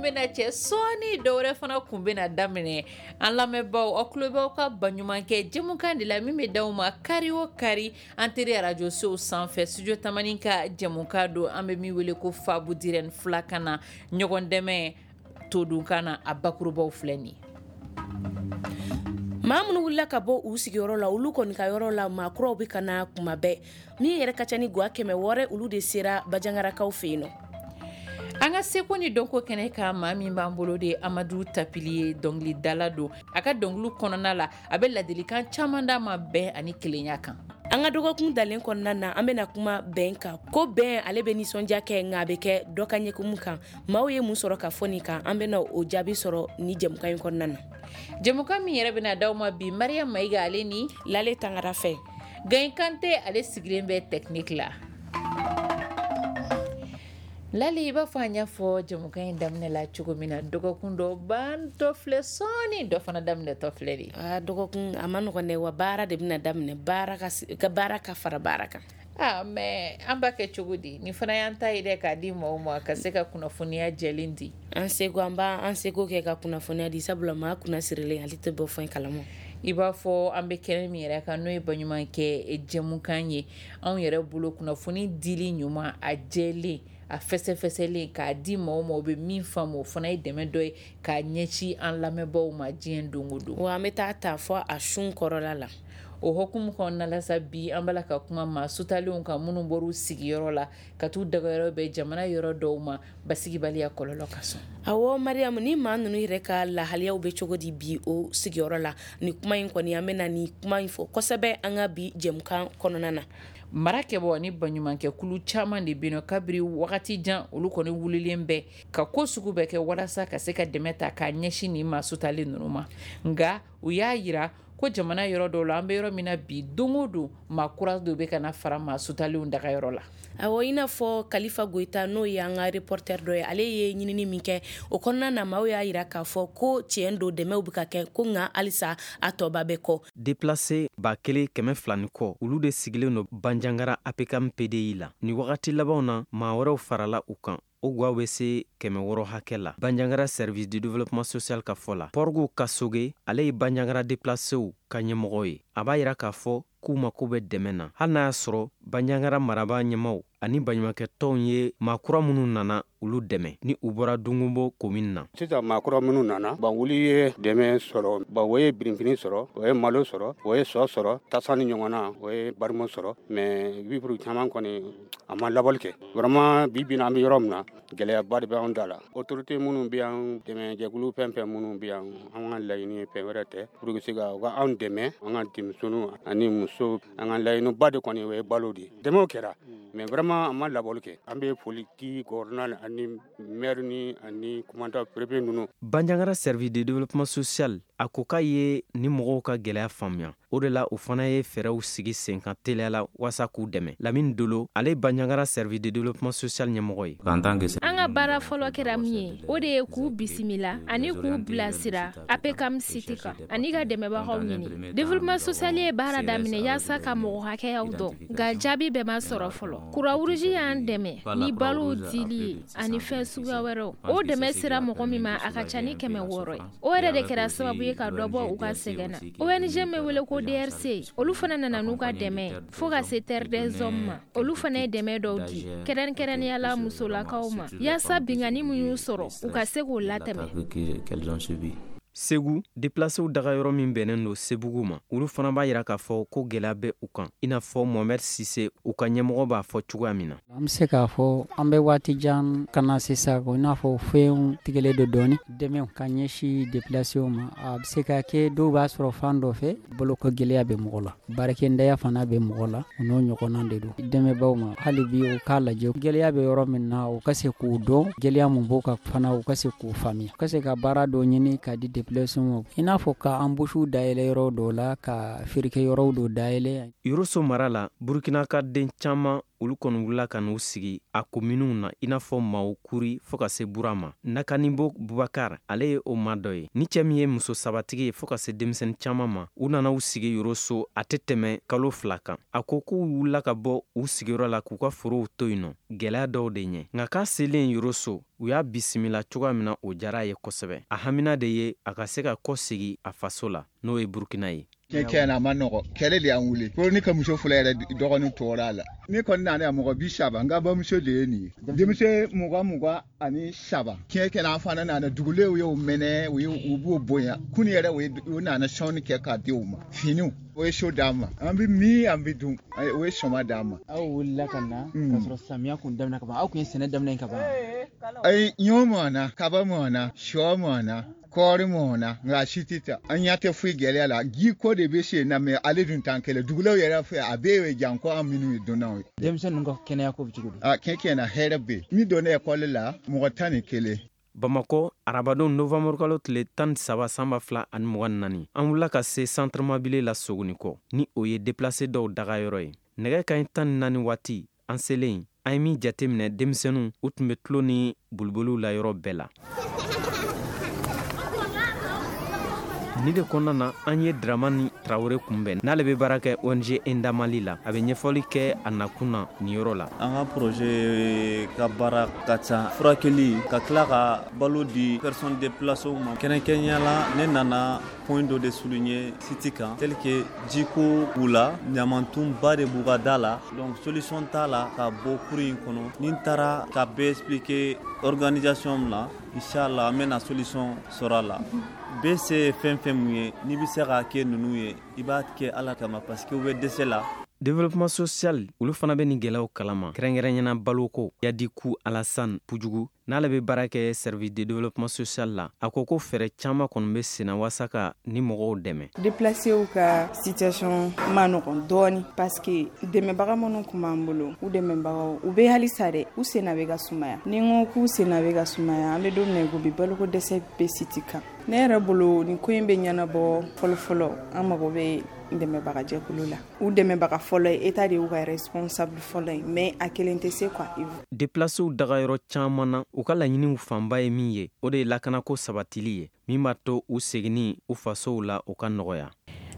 bɛna cɛ sɔɔni, dɔwɛrɛ fana kun bɛna daminɛ. An lamɛnbaaw, aw tulo b'aw ka baɲumankɛ jɛmukan de la min bɛ d'aw ma kari o kari an teri arajosow sanfɛ. Studio Tamani ka jɛmukan don, an bɛ min wele ko Fabu Dirɛni filakan na, ɲɔgɔn dɛmɛ todunkan na, a bakurubaw filɛ nin ye. Maa minnu wulila ka bɔ u sigiyɔrɔ la, olu kɔni ka yɔrɔ la, maa kuraw bɛ ka na kuma bɛɛ. Min yɛrɛ ka ca ni gwa 600, olu de sera Bajangarakaw fɛ yen nɔ. An ka seko ni dɔnko kɛnɛ kan, maa min b'an bolo de Amadu Tapili ye, dɔnkilidala don. A ka dɔnkili kɔnɔna la, a bɛ ladilikan caman d'a ma bɛn ani kelenya kan. An ka dɔgɔkun dalen kɔnɔna na, an bɛna kuma bɛn kan, ko bɛn ale bɛ nisɔndiya kɛ, nka a bɛ kɛ dɔ ka ɲɛkumu kan. Maaw ye mun sɔrɔ ka fɔ nin kan? An bɛna o jaabi sɔrɔ ni jɛmukan in kɔnɔna na. Jɛmukan min yɛrɛ bɛna d'aw ma bi, Mariam Mayiga ale ni Lale Tangara fɛ. Gaye Kante ale sigilen bɛ technique la. Lale, i b'a fɔ an y'a fɔ jɛmukan in daminɛ la cogo min na, dɔgɔkun dɔ bantɔ filɛ sɔɔni, dɔ fana daminɛtɔ filɛ de. Aa, dɔgɔkun a ma nɔgɔn dɛ, wa baara de bɛna daminɛ, baara ka baara ka fara baara kan. Aa, mais an b'a kɛ cogo di? Nin fana y'an ta ye dɛ, k'a di maaw ma ka se ka kunnafoniya jɛlen di. An seko, an b'an seko kɛ ka kunnafoniya di, sabula maa kunna sirilen ale tɛ bɔ fɛn kalama. I b'a fɔ an bɛ kɛnɛ min yɛrɛ kan, n'o ye baɲumankɛ jɛmukan ye, anw yɛrɛ bolo kunnafoni dili ɲuman, a jɛlen, a fɛsɛfɛsɛlen, k'a di maaw ma, u bɛ min faamu, o fana ye dɛmɛ dɔ ye k'a ɲɛsin an lamɛnbaaw ma diɲɛ don o don. Wa an bɛ taa ta fɔ a sun kɔrɔla la. O hukumu kɔnɔna la sa, bi an b'a la ka kuma maa sutalenw kan, minnu bɔr'u sigiyɔrɔ la ka t'u dagayɔrɔ bɛn jamana yɔrɔ dɔw ma basigibaliya kɔlɔlɔ kosɔn. Awɔ Mariam, ni maa ninnu yɛrɛ ka lahaliyaw bɛ cogo di bi o sigiyɔrɔ la? Ni kuma in kɔni, an bɛna ni kuma in fɔ kosɛbɛ an ka bi jɛmukan kɔnɔna na. Mara kɛbɔ ni baɲumankɛkulu caman de bɛ yen kabiri wagati jan, olu kɔni wulilen bɛ ka ko sugu bɛɛ kɛ walasa ka se ka dɛmɛ ta k'a ɲɛsin nin maa sutalen ninnu ma. Nka u y'a yira ko jamana yɔrɔ dɔw la, an bɛ yɔrɔ min na bi, don o don maa kura dɔ bɛ ka na fara maa sutalenw dagayɔrɔ la. Awɔ, i n'a fɔ Kalifa Goyita, n'o ye an ka reporter dɔ ye, ale ye ɲinini min kɛ o kɔnɔna na, maaw y'a yira k'a fɔ ko tiɲɛ don, dɛmɛw bɛ ka kɛ, ko nka halisa a tɔba bɛ kɔ. Déplacé 1200 ni kɔ, olu de sigilen don Banjagara APCAM PDI la. Ni wagati labanw na, maa wɛrɛw farala u kan, o gwaw bɛ se 600 hakɛ la. Banjagara Service du développement social ka fɔ la, Pɔrgu Kasoge, ale ye Banjagara déplacéw ka ɲɛmɔgɔ ye, a b'a yira k'a fɔ k'u mako bɛ dɛmɛ na, hali n'a y'a sɔrɔ Banjagara marabaa ɲɛmaw ani baɲumankɛtɔnw ye maa kura minnu nana, olu dɛmɛ ni u bɔra Dungunbo komini na. Sisan maa kura minnu nana bon, olu ye dɛmɛ sɔrɔ bon, o ye birifini sɔrɔ, o ye malo sɔrɔ, o ye sɔ sɔrɔ, tasa ni ɲɔgɔn na, o ye barimo sɔrɔ, mais vivre caman kɔni, a ma labɔli kɛ vraiment. Bi bi in na, an bɛ yɔrɔ min na, gɛlɛyaba de bɛ anw da la. Autorité minnu bɛ yan, dɛmɛjɛkulu fɛn fɛn minnu bɛ yan, an ka laɲini ye fɛn wɛrɛ tɛ pour que se ka u ka anw dɛmɛ, an ka denmisɛnninw ani musow. An ka laɲiniba de kɔni, o ye balo de ye. Dɛmɛw kɛra, mais vraiment a ma labɔli kɛ. An bɛ foli di gouverneur ani maire ni ani commandant, préfet ninnu. Banjagara Service de développement social a ko k'a ye ni mɔgɔw ka gɛlɛya faamuya, o de la u fana ye fɛɛrɛw sigi sen kan teliya la waasa k'u dɛmɛ. Lamini Dolo, ale ye Banjagara Service de développement social ɲɛmɔgɔ ye. An ka baara fɔlɔ kɛra min ye, o de ye k'u bisimila ani k'u bilasira APCAM site kan ani ka dɛmɛbagaw ɲini. Développement social ye baara daminɛ yaasa ka mɔgɔ hakɛyaw dɔn, nka jaabi bɛɛ ma sɔrɔ fɔlɔ. Croix-Rouge y'an dɛmɛ ni balow dili ye ani fɛn suguya wɛrɛw. O dɛmɛ sera mɔgɔ min ma, a ka ca ni 600 ye. O yɛrɛ de kɛra sababu ye ka dɔ bɔ u ka sɛgɛn na. ONG min wele ko DRC, olu fana nana n'u ka dɛmɛ fo ka se Terre des Hommes ma. Olu fana ye dɛmɛ dɔw di, kɛrɛnkɛrɛnnenya la musolakaw ma, yaasa binkanni min y'u sɔrɔ, u ka se k'o latɛmɛ. Segu, déplacéw dagayɔrɔ min bɛnnen don Sebugu ma, olu fana b'a yira k'a fɔ ko gɛlɛya bɛ u kan, i n'a fɔ Mohamed Sise, u ka ɲɛmɔgɔ, b'a fɔ cogoya min na. An bɛ se k'a fɔ an bɛ waati jan ka na sisan, i n'a fɔ fɛnw tigɛlen don dɔɔni. Dɛmɛ ka ɲɛsin déplacéw ma, a bɛ se ka kɛ dɔw b'a sɔrɔ fan dɔ fɛ, boloko gɛlɛya bɛ mɔgɔ la, baarakɛndaya fana bɛ mɔgɔ la, o n'o ɲɔgɔnna de don. Dɛmɛbaw ma, hali bi u k'a lajɛ gɛlɛya bɛ yɔrɔ min na, u ka se k'u dɔn gɛlɛya mun b'o kan fana, u ka se k'u faamuya, u ka se ka baara dɔ ɲini ka di déplacéw ma, i n'a fɔ ka embauche dayɛlɛ yɔrɔ dɔw la, ka feerekɛ yɔrɔw dɔ dayɛlɛ. Yoroso mara la, Burukina ka den caman olu kɔni wulila ka n'u sigi a kominiw na, i n'a fɔ Mawokuri fɔɔ ka se Bura ma. Nakanibo Bubakar, ale ye o maa dɔ ye. Ni cɛ min ye muso sabatigi ye fɔɔ ka se denmisɛni caman ma, u nana u sigi Yoroso a tɛ tɛmɛ kalo 2 kan. A ko k'u wulila ka bɔ u sigiyɔrɔ la k'u ka forow to yen nɔ, gɛlɛya dɔw de ɲɛ. Nka k'a selen Yoroso, u y'a bisimila cogoya min na, o diyara a ye kosɛbɛ. A hamina de ye a ka se ka kɔ segi a faso la, n'o ye Burukina ye. Tiɲɛ na a ma nɔgɔ, kɛlɛ de y'an wuli. Fo ne ka muso fɔlɔ yɛrɛ dɔgɔnin tɔɔrɔ a la. Ne kɔni nana yan mɔgɔ 30, n ka bamuso de ye nin ye. Denmisɛn 23. Tiɲɛ kɛra an fana nana, dugulenw y'o mɛnɛ, u b'o bonya. Kunu yɛrɛ u nana sɔnni kɛ k'a di u ma. Finiw, o ye so d'an ma. An bɛ min, an bɛ dun, o ye sɔma d'an ma. Aw wulila ka na k'a sɔrɔ samiya kun daminɛ ka ban, aw kun ye sɛnɛ daminɛ ka ban. Ayi, ɲɔ mɔna, kaba mɔna, sɔ mɔna, kɔɔri mɔna, nka si tɛ taa. An ɲɛ tɛ foyi gɛlɛya la. Ji ko de bɛ sen na, mɛ ale dun t'an kɛlɛ. Dugulenw yɛrɛ fɛ, a bɛɛ ye jan ko an minnu ye dunnanw ye. Denmisɛn ninnu ka kɛnɛya ko bɛ cogo di? A tiɲɛ na hɛrɛ bɛ yen. Min donna ekɔli la, mɔgɔ 11. Bamakɔ, arabadon novembre kalo tile 13 san 2024, an wulila ka se centre mabile la Sogonikɔ, ni o ye déplacé dɔw dagayɔrɔ ye. Nɛgɛ kanɲɛ 14 waati, an selen, an ye min jateminɛ, denmisɛnninw u tun bɛ tulo ni boliboliw la yɔrɔ bɛɛ la. Ni de kɔnɔna na, an ye Dramani Traoré kunbɛn, n'ale bɛ baara kɛ ONG Enda Mali la. A bɛ ɲɛfɔli kɛ a nakun na nin yɔrɔ la. An ka projet ka baara ka ca, furakɛli, ka tila ka balo di personnes déplacées ma. Kɛrɛnkɛrɛnnenya la, ne nana point dɔ de souligner site kan, tel que jiko b'u la, ɲamantonba de b'u ka da la, donc solution t'a la ka bɔ kuru in kɔnɔ. Ni n taara ka bɛɛ expliquer organisation la, inchallah an bɛna solution sɔrɔ a la. Bɛɛ se ye fɛn fɛn mun ye, n'i bɛ se k'a kɛ ninnu ye, i b'a kɛ Ala kama, parce que u bɛ dɛsɛ la. Développement social, olu fana bɛ nin gɛlɛyaw kalama, kɛrɛnkɛrɛnyana baloko. Yadiku Alassane Pujugu, n'ale bɛ baara kɛ service de développement social la, a ko ko fɛɛrɛ caman kɔni bɛ senna walasa ka ni mɔgɔw dɛmɛ. Déplacéw ka situation ma nɔgɔn dɔɔni, parce que dɛmɛbaga minnu tun b'an bolo, u dɛmɛbagaw u bɛ halisa dɛ, u senna bɛ ka sumaya. Ni n ko k'u senna bɛ ka sumaya, an bɛ don min na i ko bi, baloko dɛsɛ bɛ site kan. Ne yɛrɛ bolo, nin ko in bɛ ɲɛnabɔ fɔlɔ-fɔlɔ, an mago bɛ dɛmɛbagajɛkulu la. U dɛmɛbaga fɔlɔ ye État de y'u ka responsable fɔlɔ ye, mais a kelen tɛ se quoi. Déplacéw dagayɔrɔ caman na, u ka laɲiniw fanba ye min ye, o de ye lakanako sabatili ye, min b'a to u seginni u fasow la o ka nɔgɔya.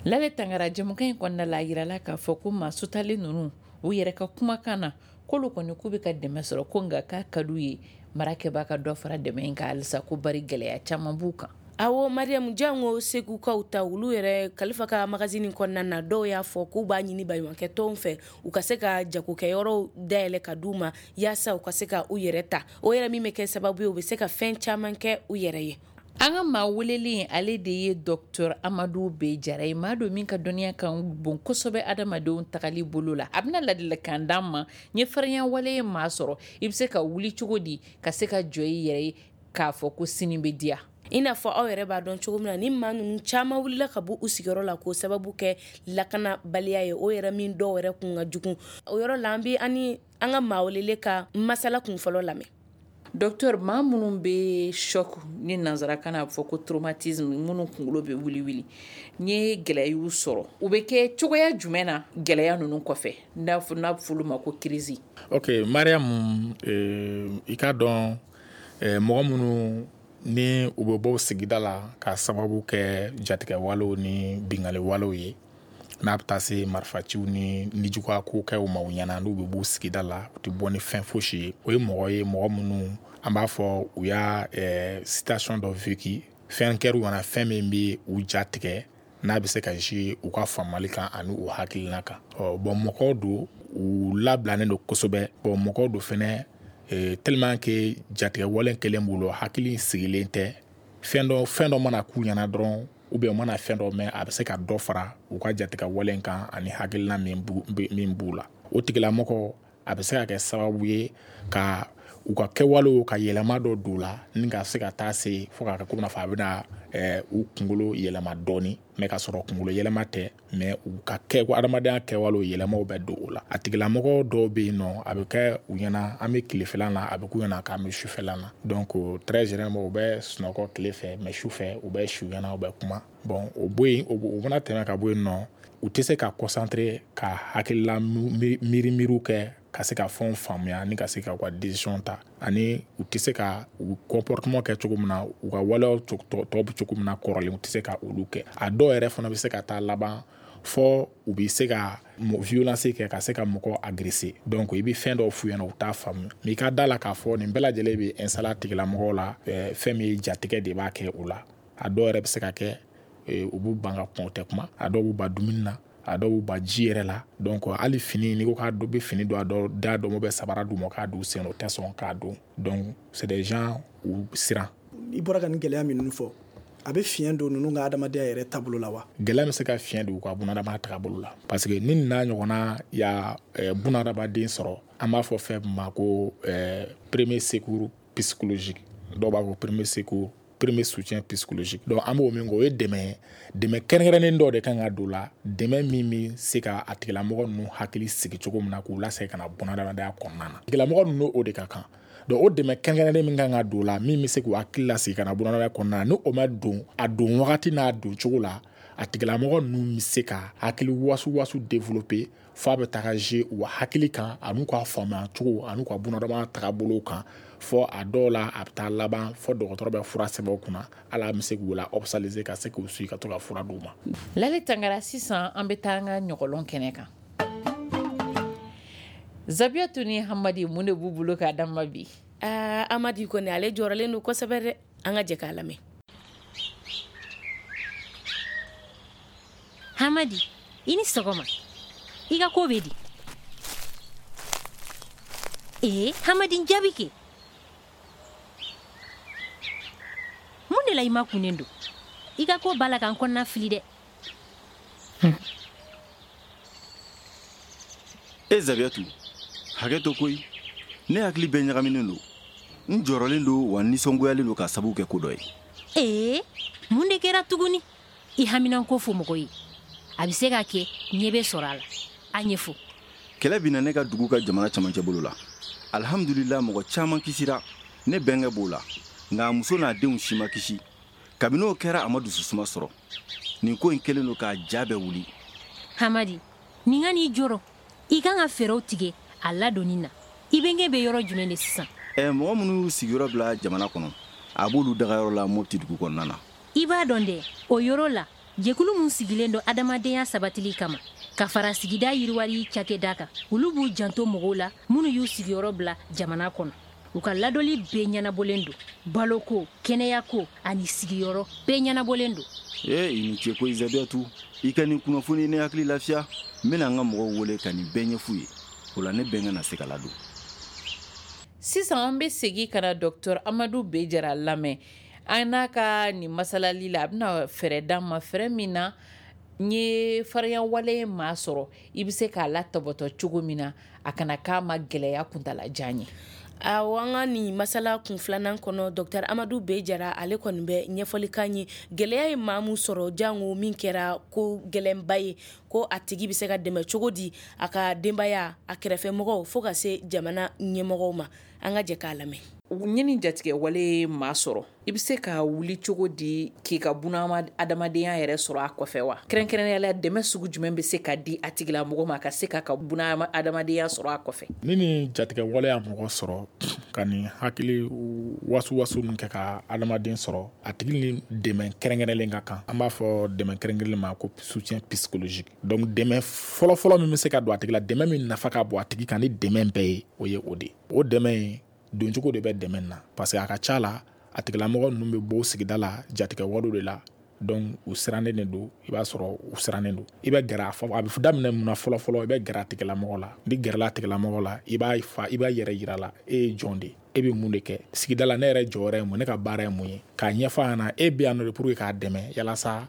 Lale Tangara, jɛmukan in kɔnɔna la, a yirala k'a fɔ ko maa sutalen ninnu, u yɛrɛ ka kumakan na, k'olu kɔni k'u bɛ ka dɛmɛ sɔrɔ, ko nka k'a ka d'u ye marakɛbaa ka dɔ fara dɛmɛ in kan halisa, ko bari gɛlɛya caman b'u kan. Awɔ Mariam, jango Segukaw ta, olu yɛrɛ Kalifa ka magazine kɔnɔna na, dɔw y'a fɔ k'u b'a ɲini baɲumankɛ tɔnw fɛ, u ka se ka jagokɛyɔrɔw dayɛlɛ ka d'u ma, yaasa u ka se ka u yɛrɛ ta. O yɛrɛ min bɛ kɛ sababu ye, u bɛ se ka fɛn caman kɛ u yɛrɛ ye. An ka maa welelen, ale de ye docteur Amadu B Jara ye, maa don min ka dɔnniya kan bon kosɛbɛ adamadenw tagali bolo la. A bɛna ladilikan d'an ma ɲɛ farinya wale ye maa sɔrɔ, i bɛ se ka wuli cogo di ka se ka jɔ i yɛrɛ ye k'a fɔ ko sini bɛ diya. I n'a fɔ aw yɛrɛ b'a dɔn cogo min na, ni maa ninnu caman wulila ka bɔ u sigiyɔrɔ la k'o sababu kɛ lakanabaliya ye, o yɛrɛ min dɔw yɛrɛ kun ka jugu. O yɔrɔ la, an bɛ ani an ka maa welele ka masala kun fɔlɔ lamɛn. Docteur, maa minnu bɛ choc ni nanzarakan na a bɛ fɔ ko traumatisme, minnu kunkolo bɛ wuli wuli, n ye gɛlɛya y'u sɔrɔ, u bɛ kɛ cogoya jumɛn na gɛlɛya ninnu kɔfɛ, n'a bɛ fɔ olu ma ko crise? Ok Mariam, i k'a dɔn, mɔgɔ minnu ni u bɛ bɔ sigida la ka sababu kɛ jatigɛwalew ni binkanniwalew ye, n'a bɛ taa se marifaciw ni nijuguya ko kɛw ma u ɲɛna, n'u bɛ bɔ sigida la, u tɛ bɔ ni fɛn fosi ye, o ye mɔgɔ ye, mɔgɔ minnu an b'a fɔ u y'a situation dɔ vécu, fɛn kɛr'u ɲɛna, fɛn min bɛ u ja tigɛ, n'a bɛ se ka jouer u ka faamuyali kan ani u hakilina kan. Ɔ bon, mɔgɔw don, u labilalen don kosɛbɛ. Bon, mɔgɔw don fɛnɛ, tellement que jatigɛwale kɛlen b'u la, hakili sigilen tɛ. Fɛn dɔ mana k'u ɲɛna dɔrɔn, ou bien u mana fɛn dɔ mɛn, a bɛ se ka dɔ fara u ka jatigɛwale kan ani hakilina min b'u la. O tigilamɔgɔ, a bɛ se ka kɛ sababu ye ka u ka kɛwalew ka yɛlɛma dɔ don u la, ni ka se ka taa se fo k'a kɛ komi n'a fɔ a bɛna u kunkolo yɛlɛma dɔɔni, mais ka sɔrɔ kunkolo yɛlɛma tɛ, mais u ka kɛ adamadenya kɛwalew yɛlɛmaw bɛ don o la. A tigilamɔgɔ dɔw bɛ yen nɔ, a bɛ kɛ u ɲɛna an bɛ tilefɛla la, a bɛ k'u ɲɛna k'an bɛ sufɛla la. Donc très généralement u bɛ sunɔgɔ tile fɛ, mais su fɛ u bɛ su ɲɛna, u bɛ kuma. Bon, o bɔ yen, o mana tɛmɛ ka bɔ yen nɔ, u tɛ se ka concentrer ka hakilila miiri miiriw kɛ. ka se ka fɛnw faamuya ni ka se ka u ka décision ta, ani u tɛ se ka u comportement kɛ cogo min na, u ka waleyaw tɔ bɛ cogo min na kɔrɔlen, u tɛ se ka olu kɛ. A dɔw yɛrɛ fana bɛ se ka taa laban fɔ u bɛ se ka violence kɛ, ka se ka mɔgɔ agresser. Donc i bɛ fɛn dɔw f'u ɲɛna, u t'a faamu. Mais i ka da la k'a fɔ nin bɛɛ lajɛlen bɛ installer a tigilamɔgɔw la, fɛn min ye jatigɛ de b'a kɛ u la. A dɔw yɛrɛ bɛ se ka kɛ u b'u ban ka kuma, u tɛ kuma. A dɔw b'u ban dumuni na, a dɔw b'u ban ji yɛrɛ la. Donc hali fini, n'i ko k'a bɛ fini don, a dɔw da dɔn bɛ sabara d'u ma k'a don u sen, u tɛ sɔn k'a don. Donc c'est des gens u siran. I bɔra ka nin gɛlɛya minnu fɔ, a bɛ fiɲɛ don ninnu ka adamadenya yɛrɛ taabolo la wa? Gɛlɛya bɛ se ka fiɲɛ don u ka bunadamaya taabolo la, parce que ni n'a ɲɔgɔnna ya bunadamaden sɔrɔ, an b'a fɔ fɛn min ma ko premier secours psychologique, dɔw b'a fɔ premier secours, premier soutien psychologique. Donc an b'o min kɛ, o ye dɛmɛ kɛrɛnkɛrɛnnen dɔ de kan ka don la, dɛmɛ min bɛ se ka a tigilamɔgɔ ninnu hakili sigi cogo min na k'u lasegin ka na bunadamadenya kɔnɔna na. Tigilamɔgɔ ninnu o de ka kan. Donc o dɛmɛ kɛrɛnkɛrɛnnen min kan ka don la, min bɛ se k'u hakili lasegin ka na bunadamadenya kɔnɔna na, ni o ma don a don wagati n'a don cogo la, a tigilamɔgɔ ninnu bɛ se ka hakili wasu développer f'a bɛ taga jouer u hakili kan, an'u ka faamuya cogo, an'u ka bunadamadenya taabolo kan. Fɔ a dɔw la a bɛ taa laban fɔ dɔgɔtɔrɔ bɛ fura sɛbɛn u kunna, hali a bɛ se k'u la hospitaliser ka se k'u suivi ka to ka fura d'u ma. Lale Tangara, sisan an bɛ taa an ka ɲɔgɔlɔn kɛnɛ kan. Zabiyatu ni Hamadi, mun de b'u bolo k'a d'an ma bi? Amadi kɔni ale jɔrɔlen don kosɛbɛ dɛ, an ka jɛ k'a lamɛn. Hamadi, i ni sɔgɔma. I ka ko bɛ di? Hamadi, n jaabi kɛ. Mun de la i ma kunnen don? I ka ko b'a la ka n kɔnɔna fili dɛ. E Zabiyatu, hakɛ to koyi. Ne hakili bɛɛ ɲagaminen don. N jɔrɔlen don wa nisɔngoyalen don k'a sababu kɛ ko dɔ ye. Mun de kɛra tuguni? I haminanko fɔ mɔgɔ ye. A bɛ se ka kɛ ɲɛ bɛ sɔrɔ a la. A ɲɛfɔ. Kɛlɛ binna ne ka dugu ka jamana camancɛ bolo la. Alhamdulillah, mɔgɔ caman kisira. Ne bɛnkɛ b'o la. Nka a muso n'a denw si ma kisi. Kabini o kɛra, a ma dususuma sɔrɔ. Nin ko in kɛlen don k'a ja bɛɛ wuli. Hamadi, nin ka n'i jɔrɔ. I kan ka fɛɛrɛw tigɛ a ladonni na. I bɛnkɛ bɛ yɔrɔ jumɛn de sisan? Mɔgɔ minnu y'u sigiyɔrɔ bila jamana kɔnɔ, a b'olu dagayɔrɔ la Mopti dugu kɔnɔna na. I b'a dɔn dɛ, o yɔrɔ la, jɛkulu min sigilen don adamadenya sabatili kama, ka fara sigida yiriwali cakɛda kan, olu b'u janto mɔgɔw la minnu y'u sigiyɔrɔ bila jamana kɔnɔ. U ka ladɔli bɛɛ ɲɛnabɔlen don. Baloko, kɛnɛyako ani sigiyɔrɔ bɛɛ ɲɛnabɔlen don. I ni ce koyi Zabiyatu. I ka nin kunnafoni ne hakili lafiya. N bɛna n ka mɔgɔw wele ka nin bɛɛ ɲɛf'u ye. O la ne bɛnkɛ na se ka ladon. Sisan an bɛ segin ka na Docteur Amadu B. Jara lamɛn. An n'a ka nin masalali la, a bɛna fɛɛrɛ d'an ma, fɛɛrɛ min na n ye farinya wale maa sɔrɔ, i bɛ se k'a latɔbɔtɔ cogo min na, a kana k'a ma gɛlɛya kuntalajan ye. Awɔ, an ka nin masala kun filanan kɔnɔ, Docteur Amadu B. Jara ale kɔni bɛ ɲɛfɔli k'an ye. Gɛlɛya ye maa mun sɔrɔ, jango min kɛra ko gɛlɛnba ye, ko a tigi bɛ se ka dɛmɛ cogo di a ka denbaya, a kɛrɛfɛmɔgɔw, fo ka se jamana ɲɛmɔgɔw ma. An ka jɛ k'a lamɛn. Ɲini jatigɛ wale maa sɔrɔ, i bɛ se ka wuli cogo di k'i ka buna adamadenya yɛrɛ sɔrɔ a kɔfɛ wa? Kɛrɛnkɛrɛnnenya la, dɛmɛ sugu jumɛn bɛ se ka di a tigilamɔgɔ ma ka se k'a ka buna adamadenya sɔrɔ a kɔfɛ? Ni nin jatigɛ wale y'a mɔgɔ sɔrɔ, ka nin hakili wasu min kɛ ka adamaden sɔrɔ, a tigi ni dɛmɛ kɛrɛnkɛrɛnlen ka kan. An b'a fɔ dɛmɛ kɛrɛnkɛrɛnlen ma ko soutien psychologique. Donc dɛmɛ fɔlɔfɔlɔ min bɛ se ka don a tigi la, dɛmɛ min nafa ka bon a tigi kan ni dɛmɛ bɛɛ ye, o ye o de ye. O dɛmɛ in doncogo de bɛ dɛmɛ na, parce que a ka ca la, a tigilamɔgɔ ninnu bɛ bɔ sigida la jatigɛ walew de la. Donc u sirannen de don, i b'a sɔrɔ u sirannen don. I bɛ gɛrɛ a bɛ daminɛ mun na fɔlɔ-fɔlɔ, i bɛ gɛrɛ a tigilamɔgɔ la. N'i gɛrɛla a tigilamɔgɔ la, i b'a fa, i b'a yɛrɛ yira la, e ye jɔn de ye, e bɛ mun de kɛ sigida la, ne yɛrɛ jɔyɔrɔ ye mun, ne ka baara ye mun ye, k'a ɲɛfɔ a ɲɛna, e bɛ yan nɔ de pour que k'a dɛmɛ yalasa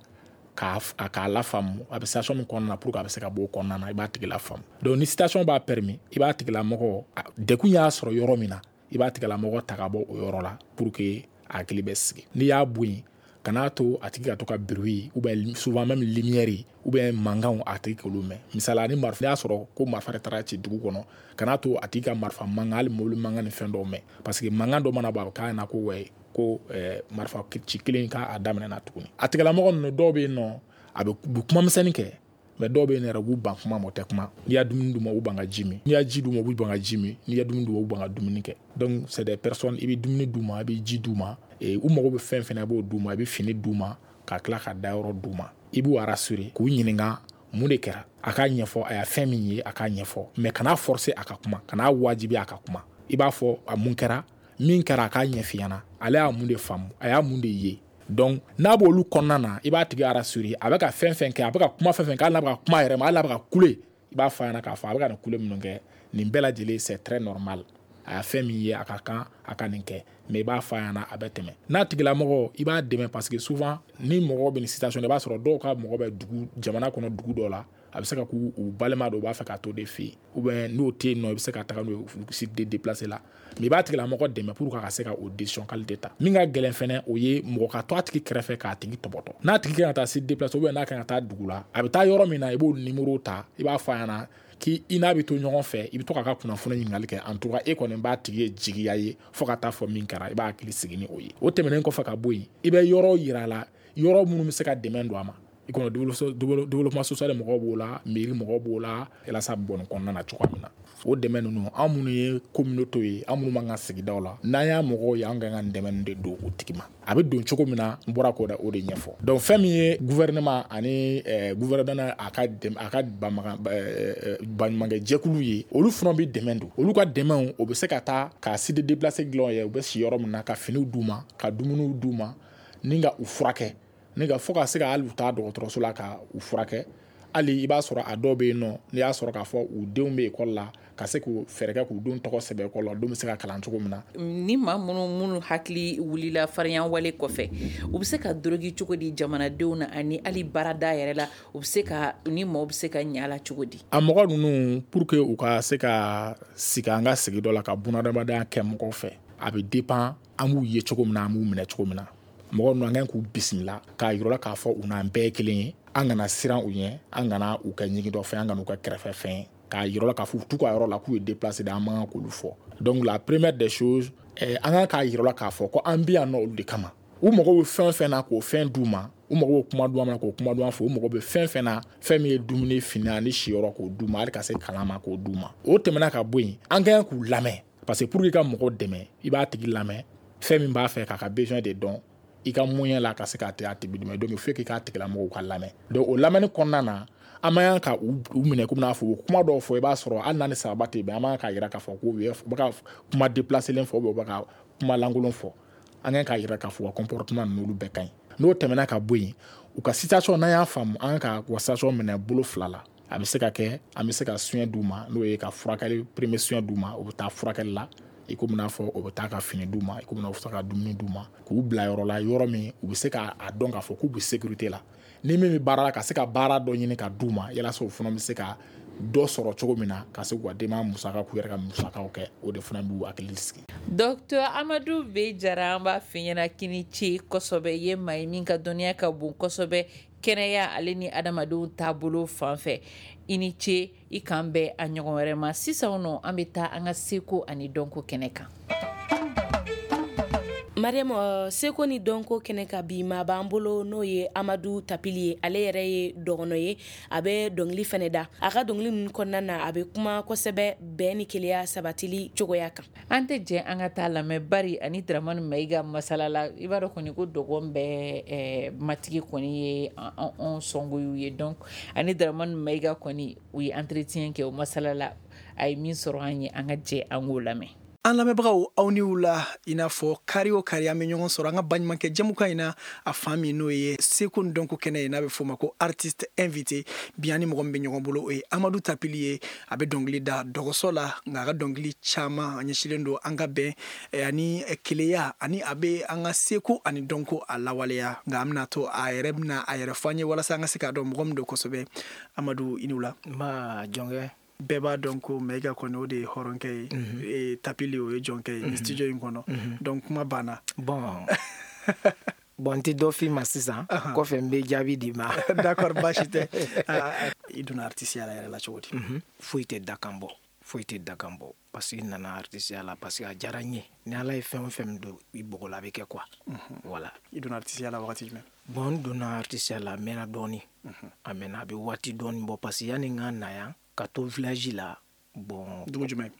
k'a lafaamu a bɛ situation min kɔnɔna na, pour que a bɛ se ka bɔ o kɔnɔna na, i b'a tigi lafaamu. Donc ni situation b'a permis, i b'a tigilamɔgɔ, degun y'a sɔrɔ yɔrɔ min na, i b'a tigilamɔgɔ ta ka bɔ o yɔrɔ la pour que a hakili bɛ sigi. N'i y'a bɔ yen, kan'a to a tigi ka to ka bruit ou bien souvent même lumière ou bien mankanw a tigi k'olu mɛn. Misali ni marifa, n'i y'a sɔrɔ ko marifa de taara ci dugu kɔnɔ, kan'a to a tigi ka marifa mankan, hali mobili mankan ni fɛn dɔw mɛn, parce que mankan dɔ mana bɔ a bɛ k'a ɲɛna ko wɛ ko marifa ci kelen k'a daminɛ na tuguni. A tigilamɔgɔ ninnu dɔw bɛ yen nɔ, a bɛ kuma misɛnnin kɛ, Mais dɔw bɛ yen yɛrɛ, u b'u ban kuma ma, o tɛ kuma. N'i y'a dumuni d'u ma, u ban ka ji min. N'i y'a ji d'u ma, u b'u ban ka ji min. N'i y'a dumuni d'u ma, u ban ka dumuni kɛ. Donc c'est des personnes, i bɛ dumuni d'u ma, i bɛ ji d'u ma, u mago bɛ fɛn fɛn na, i b'o d'u ma, i bɛ fini d'u ma, ka tila ka dayɔrɔ d'u ma. I b'u rassurer, k'u ɲininka mun de kɛra, a k'a ɲɛfɔ, a y'a fɛn min ye, a k'a ɲɛfɔ. Mais kana forcer a ka kuma, kana wajibi a ka kuma. I b'a fɔ a mun kɛra, min kɛra, a k'a ɲɛf'i ɲɛna, ale y'a mun de faamu, a y'a mun de ye. Donc n'a b'olu kɔnɔna na, i b'a tigi rassurer. A bɛ ka fɛn fɛn kɛ, a bɛ ka kuma fɛn fɛn kɛ, hali n'a bɛ ka kuma yɛrɛ ma, hali n'a bɛ ka kule, i b'a fɔ a ɲɛna k'a fɔ a bɛ ka nin kule minnu kɛ, nin bɛɛ lajɛlen, c'est très normal. A y'a fɛn min ye, a ka kan a ka nin kɛ. Mais i b'a fɔ a ɲɛna, a bɛ tɛmɛ. N'a tigilamɔgɔ, i b'a dɛmɛ, parce que souvent ni mɔgɔ bɛ nin situation, i b'a sɔrɔ dɔw ka mɔgɔ bɛ dugu, jamana kɔnɔ, dugu dɔ la. A bɛ se ka k'u balima dɔ, u b'a fɛ ka to de fɛ yen, ou bien n'o tɛ yen nɔ, i bɛ se ka taga n'o ye site de déplacé la. Mais i b'a tigilamɔgɔ dɛmɛ pour que a ka se ka o décision qualité ta. Min ka gɛlɛn fɛnɛ, o ye mɔgɔ ka to a tigi kɛrɛfɛ k'a tigi tɔbɔtɔ. N'a tigi kan ka taa site déplacé, ou bien n'a kan ka taa dugu la, a bɛ taa yɔrɔ min na, i b'o numéro ta, i b'a fɔ a ɲɛna k'i i n'a bɛ to ɲɔgɔn fɛ, i bɛ to k'a ka kunnafoni ɲininkali kɛ. En tout cas, e kɔni b'a tigi ye jigiya ye fo ka taa fɔ min kɛra, i b'a hakili sigi ni o ye. O tɛmɛnen kɔfɛ ka bɔ yen, i bɛ yɔrɔ yira a la, yɔrɔ minnu bɛ se ka dɛmɛ don a ma. I kɔnɔ développement social mɔgɔw b'o la, mairie mɔgɔw b'o la, yalasa bɔ nin kɔnɔna na cogoya min na. O dɛmɛ ninnu, an minnu ye communauté ye, an minnu b'an ka sigidaw la, n'an y'a mɔgɔw ye, an ka kan ka dɛmɛ de don o tigi ma. A bɛ don cogo min na, n bɔra k'o o de ɲɛfɔ. Donc fɛn min ye gouvernement ani gouvernement a ka baɲumankɛ jɛkulu ye, olu fana bɛ dɛmɛ don. Olu ka dɛmɛw, o bɛ se ka taa ka site déplacé dilan ye, u bɛ si yɔrɔ min na, ka finiw d'u ma, ka dumuniw d'u ma, ni ka u furakɛ, ni ka fo ka se ka hali u taa dɔgɔtɔrɔso la ka u furakɛ. Hali i b'a sɔrɔ a dɔw bɛ yen nɔ, n'i y'a sɔrɔ k'a fɔ u denw bɛ ekɔli la, ka se k'u fɛɛrɛ kɛ k'u denw tɔgɔ sɛbɛn ekɔli la, denw bɛ se ka kalan cogo min na. Ni maa minnu hakili wulila farinya wale kɔfɛ, u bɛ se ka dorogi cogo di jamanadenw na, ani hali baarada yɛrɛ la, u bɛ se ka ni maaw bɛ se ka ɲɛ la cogo di? A mɔgɔ ninnu, pour que u ka se ka sigi an ka sigi dɔ la, ka bunadamadenya kɛ mɔgɔw fɛ, a bɛ dépend an b'u ye cogo min na, an b'u minɛ cogo min na. Mɔgɔ ninnu, an kan k'u bisimila k'a yir'u la k'a fɔ u n'an bɛɛ ye kelen ye. An kana siran u ɲɛ, an kana u kɛ ɲigintɔ fɛn, an kana u kɛ kɛrɛfɛ fɛn ye, k'a yir'u la k'a fɔ u t'u ka yɔrɔ la, k'u ye déplacé de, an man kan k'olu fɔ. Donc la première des choses, an kan k'a yir'u la k'a fɔ ko an bɛ yan nɔ olu de kama. U mago bɛ fɛn fɛn na, k'o fɛn d'u ma. U mago bɛ kuma duman na, k'o kuma duman fɔ. U mago bɛ fɛn fɛn na, fɛn min ye dumuni, fini ani siyɔrɔ, k'o d'u ma, hali ka se kalan ma, k'o d'u ma. O tɛmɛna ka bɔ yen, an ka kan k'u lamɛn, parce que pour que i ka mɔgɔ dɛmɛ, i b'a tigi lamɛn, fɛn min b'a fɛ, k'a ka besoin de dɔn, i ka moyen la ka se k'a a tigi dɛmɛ. Donc il faut que k'a tigilamɔgɔw ka lamɛn. Donc o lamɛnni kɔnɔna na, an man kan ka u minɛ komi n'a fɔ u kuma dɔw fɔ, i b'a sɔrɔ hali n'a ni sababa tɛ bɛn, an man kan k'a yira k'a fɔ ko u bɛ ka kuma déplacé fɔ, ou bien u bɛ ka kuma lankolon fɔ. An kan k'a yira k'a fɔ u ka comportement ninnu, olu bɛɛ ka ɲi. N'o tɛmɛna ka bɔ yen, u ka situation, n'an y'a faamu, an kan ka u ka situation minɛ bolo fila la. A bɛ se ka kɛ an bɛ se ka soin d'u ma, n'o ye ka furakɛli, premier soin d'u ma, u bɛ taa furakɛli la, i komi n'a fɔ o bɛ taa ka fini d'u ma, i komi n'a fɔ ka dumuni d'u ma, k'u bila yɔrɔ la, yɔrɔ min u bɛ se k'a dɔn k'a fɔ k'u bɛ sécurité la. Ni min bɛ baara la, ka se ka baara dɔ ɲini ka d'u ma, yalasa u fana bɛ se ka dɔ sɔrɔ cogo min na, ka se k'u ka denbaya musaka, k'u yɛrɛ ka musakaw kɛ. O de fana b'u hakili sigi. Docteur Amadu B Jara, an b'a f'i ɲɛna k'i ni ce kosɛbɛ. I ye maa ye min ka dɔnniya ka bon kosɛbɛ kɛnɛya ale ni adamadenw taabolo fan fɛ. I ni ce, i k'an bɛn a ɲɔgɔn wɛrɛ ma. Sisan nɔ, an bɛ taa an ka seko ani dɔnko kɛnɛ kan. Mariam, seko ni dɔnko kɛnɛ ka bi, maa b'an bolo, n'o ye Amadu Tapili ye. Ale yɛrɛ ye dɔgɔnɔ ye, a bɛ dɔnkili fɛnɛ da. A ka dɔnkili ninnu kɔnɔna na, a bɛ kuma kosɛbɛ bɛn ni keleya sabatili cogoya kan. An tɛ jɛ an ka taa lamɛn bari ani Dramani Mayiga masala la. I b'a dɔn kɔni ko dɔgɔn bɛɛ matigi kɔni ye anw sɔngoyiw ye. Donc ani Dramani Mayiga kɔni, u ye entretien kɛ, o masala la, a ye min sɔrɔ an ye, an ka jɛ an k'o lamɛn. An lamɛnbagaw, aw ni wula. I n'a fɔ kari o kari, an bɛ ɲɔgɔn sɔrɔ an ka baɲumankɛ jɛmukan in na, a fan min n'o ye seko ni dɔnko kɛnɛ ye, n'a bɛ f'o ma ko artiste invité. Bi, an ni mɔgɔ min bɛ ɲɔgɔn bolo, o ye Amadu Tapili ye. A bɛ dɔnkili da dɔgɔsɔ la, nka a ka dɔnkili caman a ɲɛsinnen don an ka bɛn ani keleya, ani a bɛ an ka seko ani dɔnko a lawaleya. Nka an bɛna to a yɛrɛ bɛna a yɛrɛ fɔ an ye, walasa an ka se k'a dɔn mɔgɔ min don kosɛbɛ. Amadu, i ni wula. Nba, jɔnkɛ. Bɛɛ b'a dɔn ko Mayiga kɔni, o de ye hɔrɔnkɛ ye, Tapili o ye jɔnkɛ ye ni studio in kɔnɔ. Donc kuma banna. Bon, n tɛ dɔ f'i ma sisan, kɔfɛ n bɛ jaabi d'i ma. D'accord, baasi tɛ. I donna artiste ya la yɛrɛ la cogo di? Foyi tɛ dakan bɔ, foyi tɛ dakan bɔ, parce que n nana artiste ya la parce que a diyara n ye. Ni Ala ye fɛn o fɛn don i bɔgɔ la, a bɛ kɛ quoi, voilà. I donna artiste ya la wagati jumɛn? Bon, n donna artisiya la, a mɛnna dɔɔni. A mɛnna, a bɛ waati dɔɔni bɔ, parce que yanni n ka na yan ka to village la, bon. Dugu jumɛn?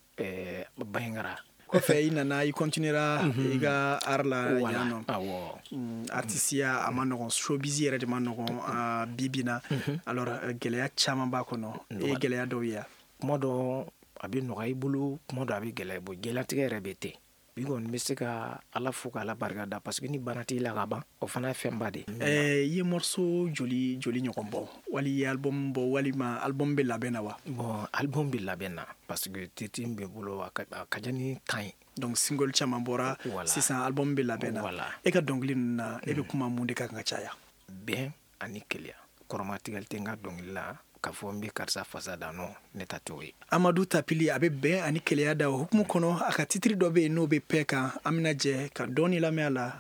Banjagara. Kɔfɛ i nana, i continuera i ka art la yan nɔ. Awɔ. Artisiya a ma nɔgɔn, showbiz yɛrɛ de ma nɔgɔn bi bi na. Alors gɛlɛya caman b'a kɔnɔ. E ye gɛlɛya dɔw ye? Kuma dɔ a bɛ nɔgɔya i bolo, kuma dɔ a bɛ gɛlɛya i bolo. Diɲɛlatigɛ yɛrɛ bɛ ten. Bi kɔni bɛ se ka Ala fo k'Ala barika da, parce que ni bana t'i la ka ban, o fana ye fɛnba de ye. I ye morceau joli joli ɲɔgɔn bɔ, wali i ye album bɔ, walima album bɛ labɛn na wa? Bon, album bɛ labɛn na, parce que titre bɛ bolo, a ka ca ni 10 ye. Donc single caman bɔra sisan, album bɛ labɛn na. E ka dɔnkili ninnu na, e bɛ kuma mun de kan ka caya? Bɛn ani kelenya. Kɔrɔmatigɛli tɛ n ka dɔnkili la k'a fɔ n bɛ karisa fasa da, nɔ ne ta t'o ye. Amadu Tapili a bɛ bɛn ani kelenya da o hukumu kɔnɔ. A ka titre dɔ bɛ yen n'o bɛ paix kan, an bɛna jɛ ka dɔɔni lamɛn a la.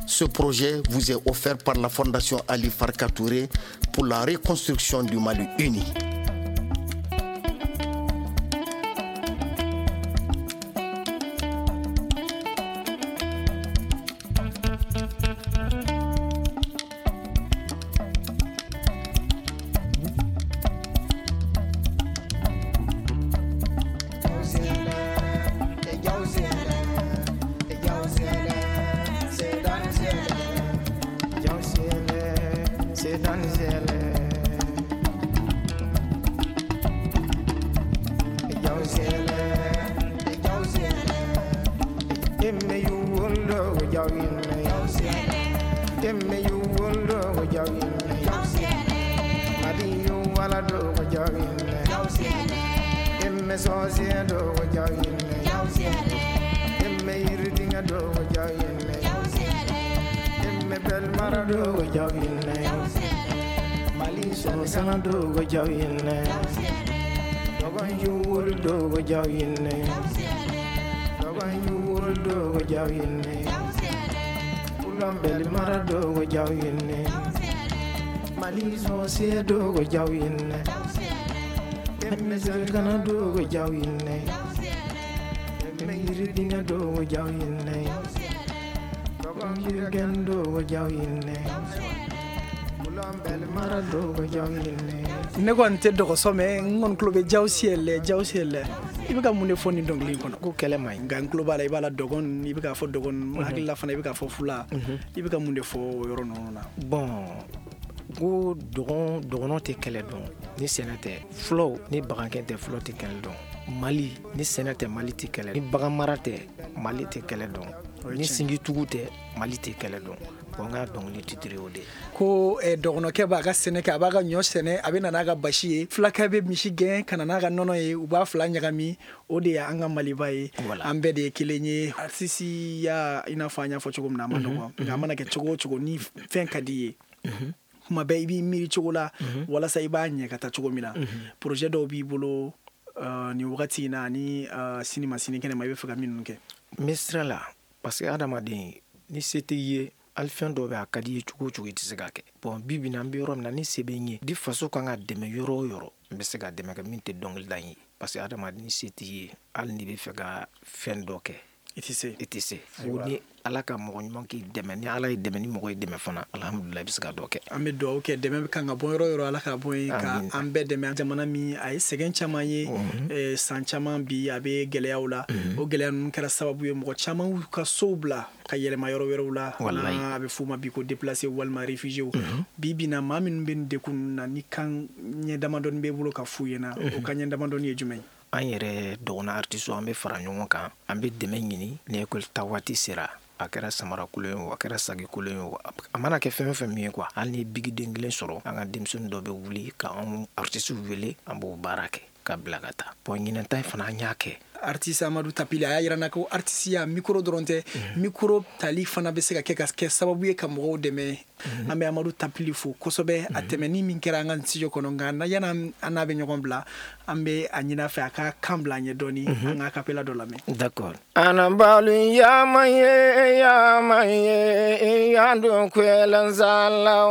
Ce projet vous est offert par la Fondation Ali Farka Touré pour la reconstruction du Mali uni. Ne kɔni tɛ dɔgɔsɔ mɛ, n kɔni tulo bɛ Jawsiyɛlɛ, Jawsiyɛlɛ. I bɛ ka mun de fɔ nin dɔnkili in kɔnɔ? Ko kɛlɛ man ɲi. Nka n tulo b'a la, i b'a la dɔgɔn, i bɛ k'a fɔ dɔgɔn, hakilila fana i bɛ k'a fɔ fula. I bɛ ka mun de fɔ o yɔrɔ ninnu na? Bon, ko dɔgɔnɔ tɛ kɛlɛ dɔn ni sɛnɛ tɛ. Fulaw ni bagankɛ tɛ, fulaw tɛ kɛlɛ dɔn. Mali ni sɛnɛ tɛ, Mali tɛ kɛlɛ. Ni baganmara tɛ, Mali tɛ kɛlɛ dɔn. Ni singitugu tɛ, Mali tɛ kɛlɛ dɔn. Bon, n ka dɔnkili titre o de. Ko dɔgɔnɔkɛ b'a ka sɛnɛ kɛ, a b'a ka ɲɔ sɛnɛ, a bɛ na n'a ka basi ye. Fulakɛ bɛ misi gɛn ka na n'a ka nɔnɔ ye, u b'a fila ɲagami. O de y'an ka Maliba ye. An bɛɛ de ye kelen ye. Artisiya, i n'a fɔ an y'a fɔ cogo min na, a ma nɔgɔn. Nka a mana kɛ cogo o cogo, ni fɛn ka di i ye, kuma bɛɛ i b'i miiri cogo la walasa i b'a ɲɛ ka taa cogo min na. Projet dɔw b'i bolo nin wagati in na ani sini ma sini kɛnɛ ma, i bɛ fɛ ka minnu kɛ? N bɛ sira la, parce que adamaden ni se t'i ye, hali fɛn dɔw bɛ a ka di i ye cogo o cogo, i tɛ se k'a kɛ. Bon, bi bi in na, an bɛ yɔrɔ min na, ni se bɛ n ye, di faso kan ka dɛmɛ yɔrɔ o yɔrɔ, n bɛ se ka dɛmɛ kɛ min tɛ dɔnkilida in ye. Parce que adamaden ni se t'i ye, hali n'i bɛ fɛ ka fɛn dɔ kɛ, i tɛ se. I tɛ se. Fo ni Ala ka mɔgɔ ɲuman k'i dɛmɛ, ni Ala ye dɛmɛ, ni mɔgɔ ye dɛmɛ fana, alhamdulillah, i bɛ se ka dɔ kɛ. An bɛ dugawu kɛ, dɛmɛ kan ka bɔ yɔrɔ o yɔrɔ, Ala ka bɔ yen ka an bɛɛ dɛmɛ. Jamana min a ye sɛgɛn caman ye san caman, bi a bɛ gɛlɛyaw la. O gɛlɛya ninnu kɛra sababu ye mɔgɔ caman y'u ka sow bila ka yɛlɛma yɔrɔ wɛrɛw la. A bɛ f'u ma bi ko déplacé walima réfugié. Bi bi na, maa minnu bɛ nin degun ninnu na, ni kan ɲɛ damadɔni b'e bolo ka f'u ɲɛna, o kan ɲɛ damadɔni ye jumɛn ye? An yɛrɛ dɔgɔnɔ artiste, an bɛ fara ɲɔgɔn kan, an bɛ dɛmɛ ɲini. Ni école ta waati sera, a kɛra samara kolon ye o, a kɛra sagi kolon ye o, a mana kɛ fɛn o fɛn min ye quoi, hali ni bigiden kelen sɔrɔ, an ka denmisɛnnin dɔ bɛ wuli ka anw artiste wele, an b'o baara kɛ ka bila ka taa. Bon, ɲinan ta in fana an y'a kɛ. Artiste Amadu Tapili a y'a yira n na ko artisiya micro dɔrɔn tɛ, micro tali fana bɛ se ka kɛ ka kɛ sababu ye ka mɔgɔw dɛmɛ. An bɛ Amadu Tapili fo kosɛbɛ, a tɛmɛni min kɛra an ka studio kɔnɔ. Nka yanni an n'a bɛ ɲɔgɔn bila, an bɛ a ɲini a fɛ a ka kan bila an ye dɔɔni, an ka acapella dɔ lamɛn. D'accord. Anabalu yama ye yama ye yando kwelanzala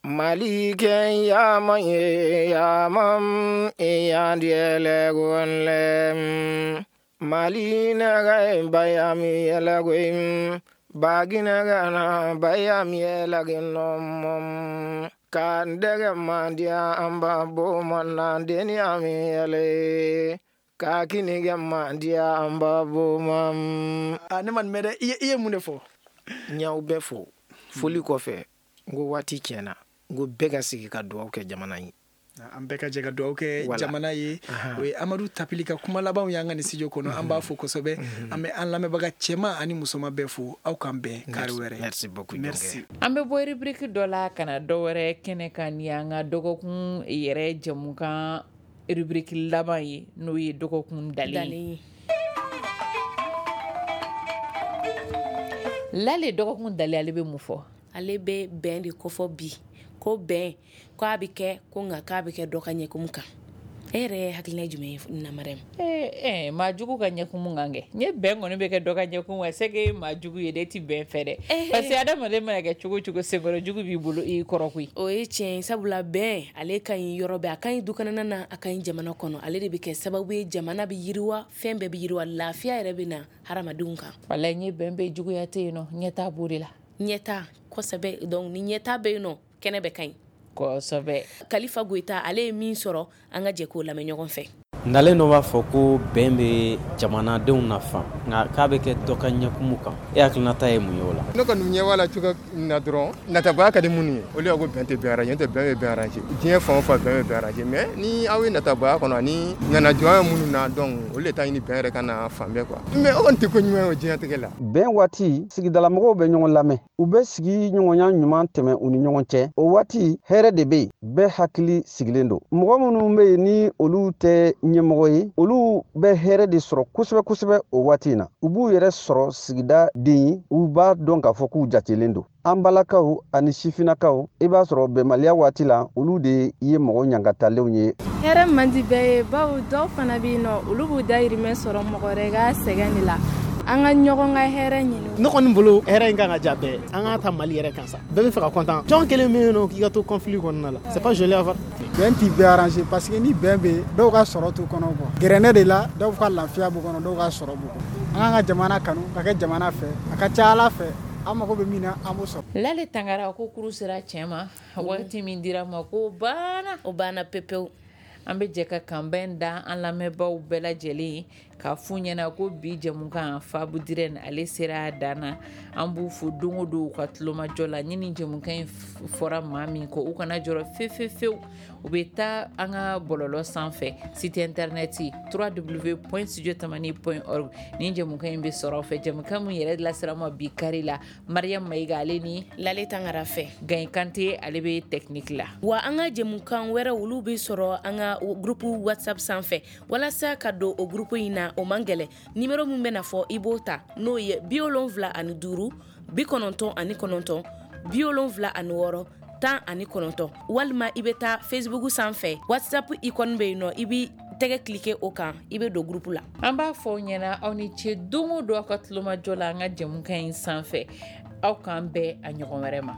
Mali kɛ yama ye yama yandiyɛlɛ gonlɛ Mali naga bayami yɛlɛ goy Baginɛgɛna baya miyɛlɛginɔmɔm ka n dɛgɛ mandiya an ba boma deni amiyɛlɛ ka kinigɛ mandiya an ba boma. Ne ma nin mɛn dɛ. I ye mun de fɔ? N y'aw bɛɛ fo. Foli kɔfɛ, n ko waati tiɲɛna, n ko bɛɛ ka sigi ka dugawu kɛ jamana ye. An bɛɛ ka jɛ ka dugawu kɛ jamana ye. O ye Amadu Tapili ka kuma labanw y'an ka nin studio kɔnɔ. An b'a fo kosɛbɛ. An bɛ an lamɛnbaga cɛman ani musoman bɛɛ fo. Aw k'an bɛn kari wɛrɛ. Merci beaucoup. Merci. An bɛ bɔ rubrique dɔ la ka na dɔ wɛrɛ kɛnɛ kan ni an ka dɔgɔkun yɛrɛ jɛmukan rubrique laban ye, n'o ye dɔgɔkun dalen ye. Lale, dɔgɔkun dalen, ale bɛ mun fɔ? Ale bɛ bɛn de kofɔ bi, ko bɛn ko a bɛ kɛ, ko nka k'a bɛ kɛ dɔ ka ɲɛkumu kan. E yɛrɛ ye hakilina jumɛn ye na Mariam? Maa jugu ka ɲɛkumu kan kɛ. N ye bɛn kɔni bɛ kɛ dɔ ka ɲɛkumu kan, c'est que maa jugu ye dɛ, e ti bɛn fɛ dɛ. Parce que adamaden mana kɛ cogo o cogo, senkɔrɔ jugu b'i bolo i kɔrɔ koyi. O ye tiɲɛ ye, sabula bɛn ale ka ɲi yɔrɔ bɛɛ, a ka ɲi dukɔnɔna na, a ka ɲi jamana kɔnɔ. Ale de bɛ kɛ sababu ye jamana bɛ yiriwa, fɛn bɛɛ bɛ yiriwa, lafiya yɛrɛ bɛ na hadamadenw kan. Walayi, n ye bɛn bɛ juguya tɛ yen nɔ, ɲɛtaa b'o de la. Ɲɛtaa kosɛbɛ. Donc ni ɲɛtaa bɛ yen nɔ, kɛnɛ bɛ ka ɲi kosɛbɛ. Kalifa Goyita, ale ye min sɔrɔ, an ka jɛ k'o lamɛn ɲɔgɔn fɛ. Ntalen dɔ b'a fɔ ko bɛn bɛ jamanadenw nafa, nka k'a bɛ kɛ dɔ ka ɲɛkumu kan. E hakilinata ye mun ye o la? Ne kɔni ɲɛ b'a la cogo min na dɔrɔn, natabaya ka di minnu ye, olu y'a ko bɛn tɛ bɛn arranger, n'o tɛ bɛn bɛ bɛn arranger. Diɲɛ fan o fan bɛn bɛ bɛn arranger, mais ni aw ye natabaya kɔnɔ ani ŋanajɔya minnu na, donc olu de t'a ɲini bɛn yɛrɛ ka na fan bɛɛ quoi. Mais o kɔni tɛ ko ɲuman ye o diɲɛlatigɛ la. Bɛn waati, sigidalamɔgɔw bɛ ɲɔgɔn lamɛn, u bɛ sigi ɲɔgɔnya ɲuman tɛmɛ u ni ɲɔgɔn cɛ. O waati hɛrɛ de bɛ yen, bɛɛ hakili sigilen don. Mɔgɔ minnu bɛ yen ni olu tɛ ɲɛmɔgɔ ye, olu bɛ hɛrɛ de sɔrɔ kosɛbɛ kosɛbɛ o waati in na. U b'u yɛrɛ sɔrɔ sigida den ye, u b'a dɔn k'a fɔ k'u jatelen don. An balakaw ani sifinnakaw, i b'a sɔrɔ bɛnbaliya waati la, olu de ye mɔgɔ ɲangatalenw ye. Hɛrɛ man di bɛɛ ye, bawo dɔw fana bɛ yen nɔ, olu b'u dayirimɛ sɔrɔ mɔgɔ wɛrɛ ka sɛgɛn de la. An ka ɲɔgɔn ka hɛrɛ ɲini. Ne kɔni bolo, hɛrɛ in kan ka diya bɛɛ. An k'a ta Mali yɛrɛ kan sa, bɛɛ bɛ fɛ ka content. Jɔn kelen bɛ yen nɔ k'i ka to conflit kɔnɔna la, c'est pas joli à voir. Bɛn ti bɛɛ arranger, parce que ni bɛn bɛ yen, dɔw ka sɔrɔ t'u kɔnɔ quoi. Gɛrɛnɛ de la, dɔw ka lafiya b'u kɔnɔ, dɔw ka sɔrɔ b'u kɔnɔ. An k'an ka jamana kanu, ka kɛ jamana fɛ, a ka ca Ala fɛ, an mago bɛ min na, an b'o sɔrɔ. Lale Tangara ko kuru sera cɛ ma, waati min dira ma ko banna. O banna pepewu. An bɛ jɛ ka kanbɛn da an lamɛnbaaw bɛɛ lajɛlen k'a f'u ɲɛna ko bi jɛmukan Fabu Dirɛn ale sera a dan na. An b'u fo don o don u ka tulomajɔ la. Ni nin jɛmukan in fɔra maa min kɔ, u kana jɔrɔ fefefewu, u bɛ taa an ka bɔlɔlɔ sanfɛ, site internet www.studiotamani.org. Nin jɛmukan in bɛ sɔrɔ aw fɛ. Jɛmukan min yɛrɛ lasera ma bi kari la, Mariam Mayiga ale ni Lale Tangara fɛ, Gaye Kante ale bɛ technique la. Wa an ka jɛmukan wɛrɛ, olu bɛ sɔrɔ an ka groupe WhatsApp sanfɛ. Walasa ka don o groupe in na, o man gɛlɛn. Numéro min bɛna fɔ, i b'o ta, n'o ye 75 99 76 19, walima i bɛ taa Facebook sanfɛ, WhatsApp icône bɛ yen nɔ, i b'i tɛgɛ cliquer o kan, i bɛ don groupe la. An b'a fɔ aw ɲɛna, aw ni ce don o don aw ka tulomajɔ la an ka jɛmukan in sanfɛ. Aw k'an bɛn a ɲɔgɔn wɛrɛ ma.